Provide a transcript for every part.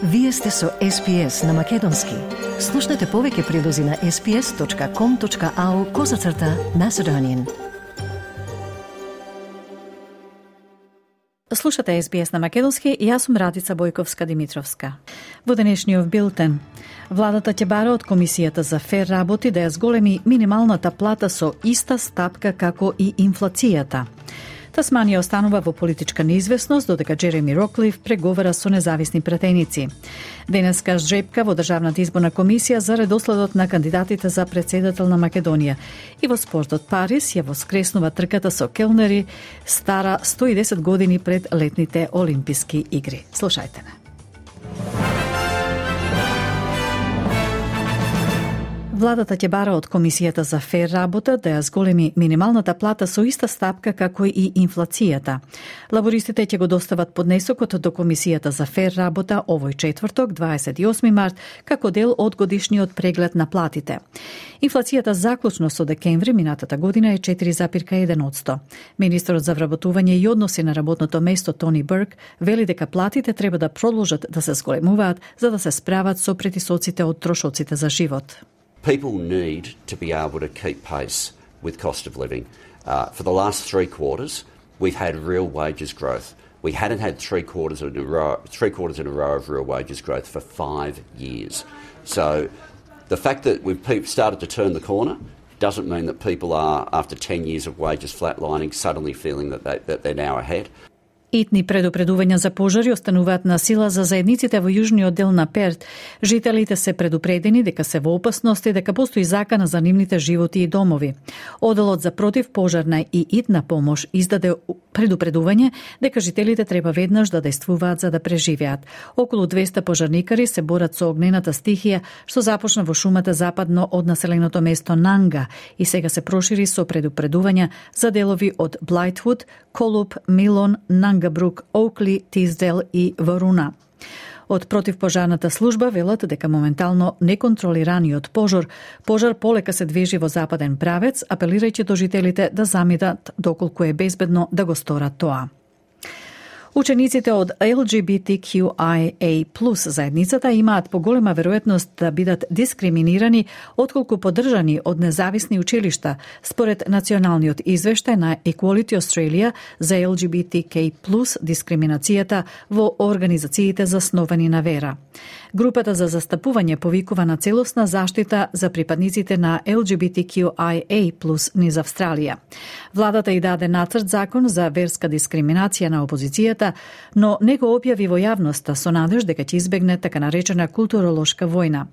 Вие сте со SPS на Македонски. Слушнете повеќе прилози на sps.com.au/Macedonian. Слушате SBS на Македонски и јас сум Радица Бојковска-Димитровска. Во денешниот билтен, владата ќе бара од Комисијата за фер работи да ја зголеми минималната плата со иста стапка како и инфлацијата. Тасманија останува во политичка неизвестност, додека Джереми Роклиф преговара со независни пратеници. Денеска жребка во Државната изборна комисија за редоследот на кандидатите за председател на Македонија. И во спортот Париз ја воскреснува трката со келнери, стара 110 години пред летните Олимписки игри. Слушајте ме. Владата ќе бара од Комисијата за фер работа да ја зголеми минималната плата со иста стапка како и инфлацијата. Лабористите ќе го достават поднесокот до Комисијата за фер работа овој четврток, 28 март, како дел од годишниот преглед на платите. Инфлацијата заклучно со декември минатата година е 4,1%. Министерот за вработување и односи на работното место Тони Бурк вели дека платите треба да продолжат да се зголемуваат за да се справат со притисоците од трошоците за живот. People need to be able to keep pace with cost of living. For the last 3 quarters, we've had real wages growth. We hadn't had 3 quarters in a row of real wages growth for 5 years. So the fact that we've started to turn the corner doesn't mean that people are, after 10 years of wages flatlining, suddenly feeling that they're now ahead. Итни предупредувања за пожари остануваат на сила за заедниците во јужниот дел на Перт. Жителите се предупредени дека се во опасност и дека постои закана за нивните животи и домови. Оделот за противпожарна и итна помош издаде предупредување дека жителите треба веднаш да действуваат за да преживеат. Околу 200 пожарникари се борат со огнената стихија што започна во шумата западно од населеното место Нанга и сега се прошири со предупредувања за делови од Блајтвуд, Колуп, Милон, Нангабрук, Оукли, Тиздел и Варуна. Од противпожарната служба велат дека моментално неконтролираниот пожар полека се движи во западен правец, апелирајќи до жителите да заминат доколку е безбедно да го сторат тоа. Учениците од LGBTQIA+ заедницата имаат поголема веројатност да бидат дискриминирани отколку поддржани од независни училишта, според националниот извештај на Equality Australia за LGBTQ+ дискриминацијата во организациите засновани на вера. Групата за застапување повикува на целосна заштита за припадниците на LGBTQIA+ низ Австралија. Владата и даде нацрт закон за верска дискриминација на опозицијата, но не го објави во јавноста со надеж дека ќе избегне така наречена културолошка војна.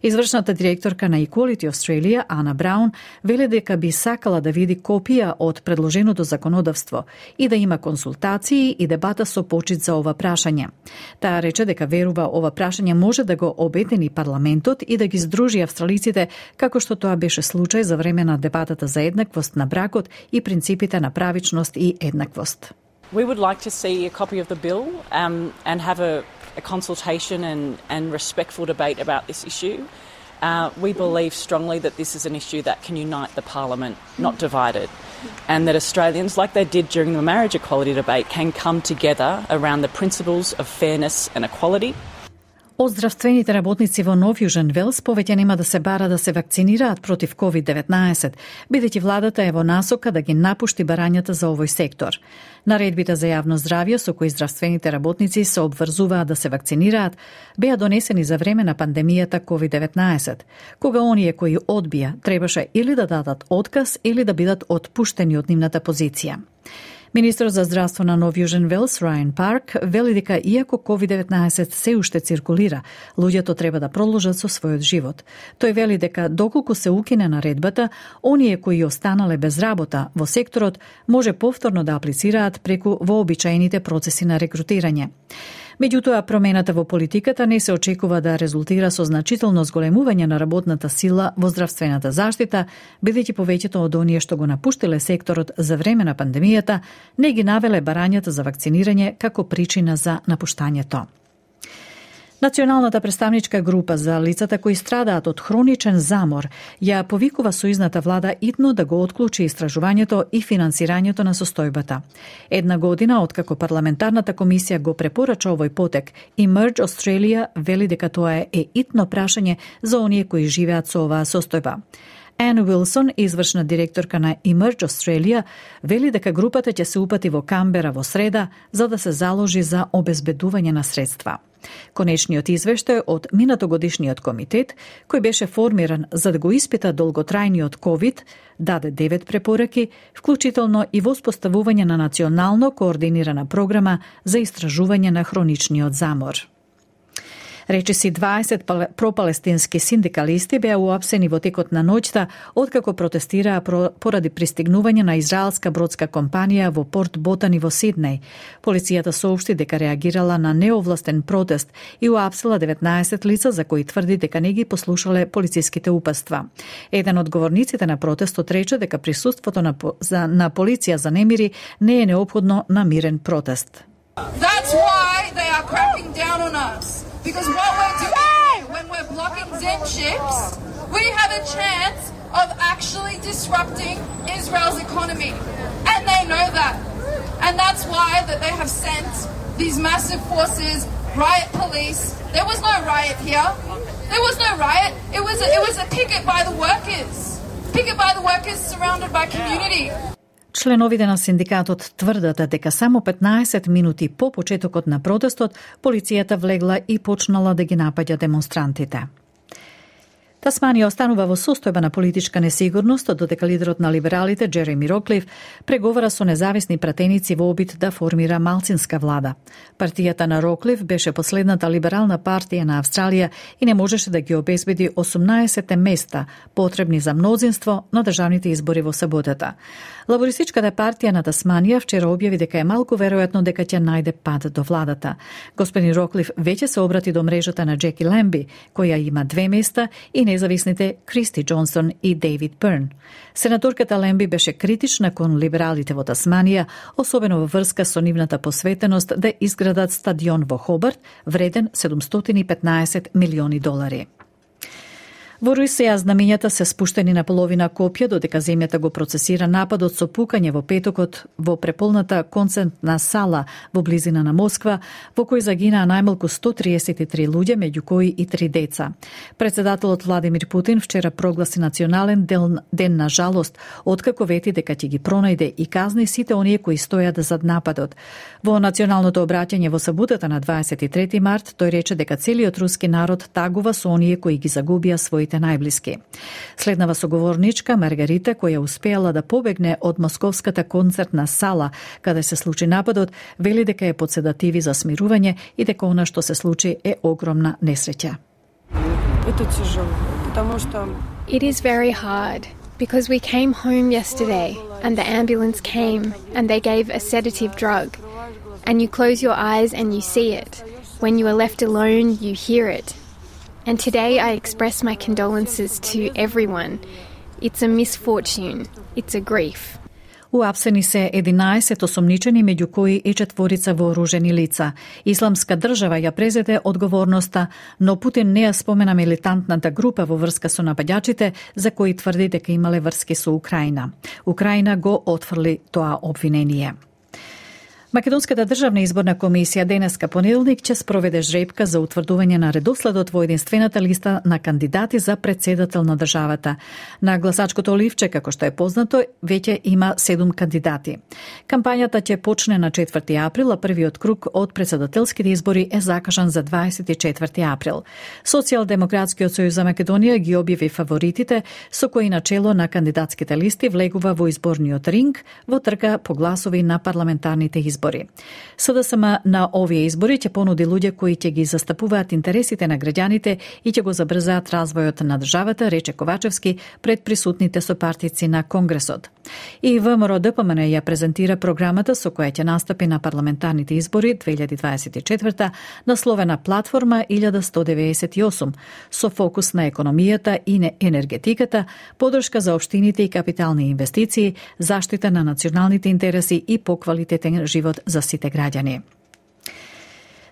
Извршната директорка на Equality Australia, Ана Браун, вели дека би сакала да види копија од предложеното законодавство и да има консултации и дебата со почит за ова прашање. Таа рече дека верува ова прашање може да го обедини парламентот и да ги здружи австралиците, како што тоа беше случај за време на дебатата за еднаквост на бракот и принципите на правичност и еднаквост. We would like to see a copy of the bill and have a consultation and respectful debate about this issue. We believe strongly that this is an issue that can unite the Parliament, not divide it, and that Australians, like they did during the marriage equality debate, can come together around the principles of fairness and equality. Од здравствените работници во Нов Јужен Велс повеќе нема да се бара да се вакцинираат против COVID-19, бидејќи владата е во насока да ги напушти барањата за овој сектор. Наредбите за јавно здравје со кои здравствените работници се обврзуваат да се вакцинираат беа донесени за време на пандемијата COVID-19, кога оние кои одбија требаше или да дадат отказ или да бидат отпуштени од нивната позиција. Министерот за здравство на Нов Јужен Велс, Рајан Парк, вели дека иако COVID-19 се уште циркулира, луѓето треба да продолжат со својот живот. Тој вели дека доколку се укине наредбата, оние кои останале без работа во секторот може повторно да аплицираат преку вообичаените процеси на рекрутирање. Меѓутоа, промената во политиката не се очекува да резултира со значително зголемување на работната сила во здравствената заштита, бидејќи повеќето од оние што го напуштиле секторот за време на пандемијата не ги навеле барањата за вакцинирање како причина за напуштањето. Националната представничка група за лицата кои страдаат од хроничен замор ја повикува сојузната влада итно да го отклучи истражувањето и финансирањето на состојбата. Една година откако парламентарната комисија го препорача овој потек, Emerge Australia вели дека тоа е итно прашање за оние кои живеат со оваа состојба. Ан Уилсон, извршна директорка на Emerge Australia, вели дека групата ќе се упати во Камбера во среда за да се заложи за обезбедување на средства. Конечниот извештај од минатогодишниот комитет, кој беше формиран за да го испита долготрајниот COVID, даде 9 препораки, вклучително и воспоставување на национално координирана програма за истражување на хроничниот замор. Речиси 20 пропалестински синдикалисти беа уапсени во текот на ноќта откако протестираа поради пристигнување на израелска бродска компанија во Порт Ботани во Сиднеј. Полицијата соопшти дека реагирала на неовластен протест и уапсила 19 лица за кои тврди дека не ги послушале полициските упатства. Еден од говорниците на протестот рече дека присуството на полиција за немири не е неопходно на мирен протест. That's why they are cracking down on us. Because what we're doing when we're blocking Zen ships, we have a chance of actually disrupting Israel's economy. And they know that. And that's why that they have sent these massive forces, riot police. There was no riot here. There was no riot. It was a picket by the workers. Picket by the workers surrounded by community. Членовите на синдикатот тврдат дека само 15 минути по почетокот на протестот, полицијата влегла и почнала да ги напаѓа демонстрантите. Тасманија останува во состојба на политичка несигурност додека лидерот на либералите Джереми Роклиф преговара со независни пратеници во обид да формира малцинска влада. Партијата на Роклиф беше последната либерална партија на Австралија и не можеше да ги обезбеди 18 места потребни за мнозинство на државните избори во саботата. Лабористичката партија на Тасманија вчера објави дека е малку веројатно дека ќе најде пат до владата. Господин Роклиф веќе се обрати до мрежата на Джеки Лемби, која има 2 места, и независните Кристи Джонсон и Дейвид Бърн. Сенаторката Лемби беше критична кон либералите во Тасманија, особено во врска со нивната посветеност да изградат стадион во Хобарт, вреден $715 милиони. Во Русија знамењата се спуштени на половина копија додека земјата го процесира нападот со пукање во петокот во преполната концертна сала во близина на Москва, во кој загинаа најмалку 133 луѓе, меѓу кои и 3 деца. Председателот Владимир Путин вчера прогласи национален ден на жалост, откако вети дека ќе ги пронајде и казни сите оние кои стојат зад нападот. Во националното обраќање во саботата на 23 март, тој рече дека целиот руски народ тагува со оние кои ги загубија своите најблиски. Следнава соговорничка Маргарита, која успеала да побегне од московската концертна сала каде се случи нападот, вели дека е под седативи за смирување и дека она што се случи е огромна несреќа. It is very hard because we came home yesterday and the ambulance came and they gave a sedative drug and you close your eyes and you see it. When you are left alone, you hear it. And today I express my condolences to everyone. It's a misfortune. It's a grief. Уапсени се 11 осомничени, меѓу кои и 4 вооружени лица. Исламска држава ја презеде одговорноста, но Путин не ја спомена милитантната група во врска со нападјачите, за кои тврди дека имале врски со Украина. Украина го отфрли тоа обвинение. Македонската државна изборна комисија денеска понеделник ќе спроведе жребка за утврдување на редоследот во единствената листа на кандидати за претседател на државата. На гласачкото ливче, како што е познато, веќе има 7 кандидати. Кампањата ќе почне на 4 април, а првиот круг од претседателските избори е закажан за 24 април. Социјалдемократскиот сојуз за Македонија ги објави фаворитите, со кои начело на кандидатските листи влегува во изборниот ринг во трка по гласови на парламентарните избори. СДСМ на овие избори ќе понуди луѓе кои ќе ги застапуваат интересите на граѓаните и ќе го забрзаат развојот на државата, рече Ковачевски пред присутните сопартици на Конгресот. И ВМРО-ДПМН ја презентира програмата со која ќе настапи на парламентарните избори 2024 насловена Платформа 1198, со фокус на економијата и енергетиката, подршка за општините и капитални инвестиции, заштита на националните интереси и поквалитетен живот за сите граѓани.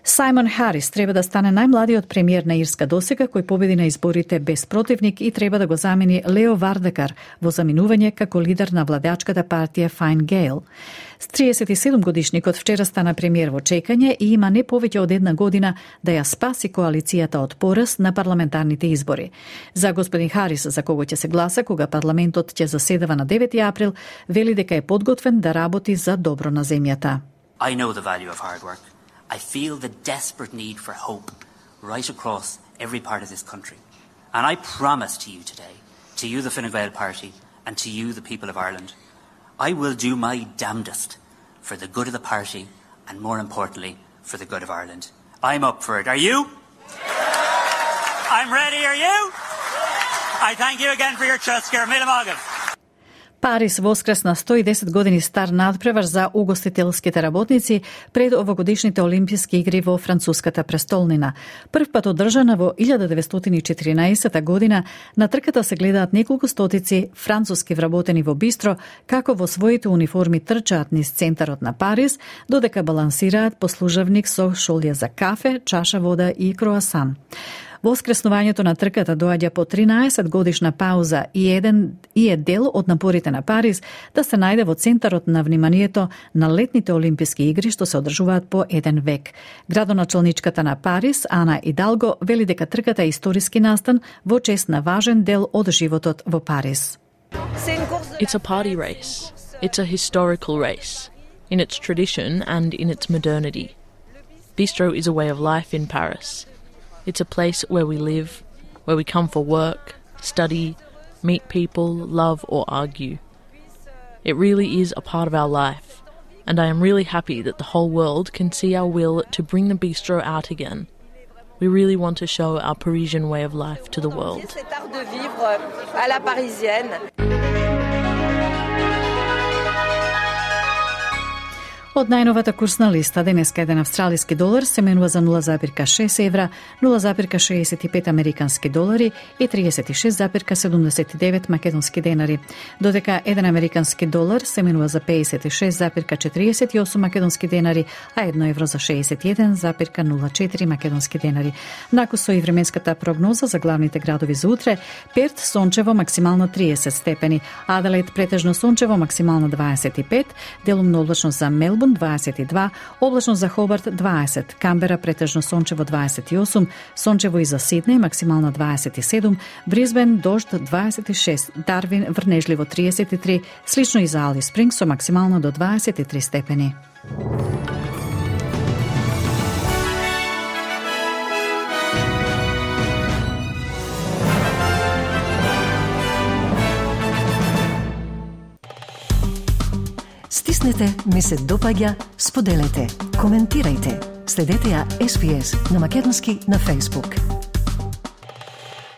Саймон Харис треба да стане најмладиот премиер на Ирска досега кој победи на изборите без противник и треба да го замени Лео Вардекар во заминување како лидер на владачката партија Fine Gael. 37 годишникот вчера стана премиер во чекање и има не повеќе од една година да ја спаси коалицијата од пораз на парламентарните избори. За господин Харис, за кого ќе се гласа кога парламентот ќе заседава на 9 април, вели дека е подготвен да работи за добро на земјата. I know the value of hard work. I feel the desperate need for hope right across every part of this country. And I promise to you today, to you the Fine Gael Party, and to you the people of Ireland, I will do my damnedest for the good of the party and more importantly, for the good of Ireland. I'm up for it. Are you? I'm ready, are you? I thank you again for your trust, Kermit Morgan. Парис воскресна 110 години стар надпревар за угостителските работници пред овогодишните Олимписки игри во француската престолнина. Прв пат одржана во 1914 година, на трката се гледаат неколку стотици француски вработени во бистро, како во своите униформи трчаат низ центарот на Париз, додека балансираат послужавник со шолја за кафе, чаша вода и круасан. Воскреснувањето на трката доаѓа по 13 годишна пауза и е дел од напорите на Париз да се најде во центарот на вниманието на летните Олимписки игри што се одржуваат по еден век. Градоначалничката на Париз, Ана Идалго, вели дека трката е историски настан во чест на важен дел од животот во Париз. It's a party race. It's a historical race in its tradition and in its modernity. Bistro is a way of life in Paris. It's a place where we live, where we come for work, study, meet people, love or argue. It really is a part of our life, and I am really happy that the whole world can see our will to bring the bistro out again. We really want to show our Parisian way of life to the world. Од најновата курсна листа, денеска еден австралиски долар се менува за 0,6 евра, 0,65 американски долари и 36,79 македонски денари, додека еден американски долар се менува за 56,48 македонски денари, а 1 евро за 61,04 македонски денари. Накусо и временската прогноза за главните градови за утре: Перт сончево максимално 30 степени, Аделаид претежно сончево максимално 25, делумно облачно за Мелбурн 22, облачно за Хобарт 20, Камбера претежно сончево 28, сончево и за Сиднеј максимално 27, Брисбен дожд 26, Дарвин врнежливо 33, слично и за Алис Спрингс со максимално до 23 степени. Стиснете, ми се допаѓа, споделете, коментирајте. Следете ја SPS на Македонски на Facebook.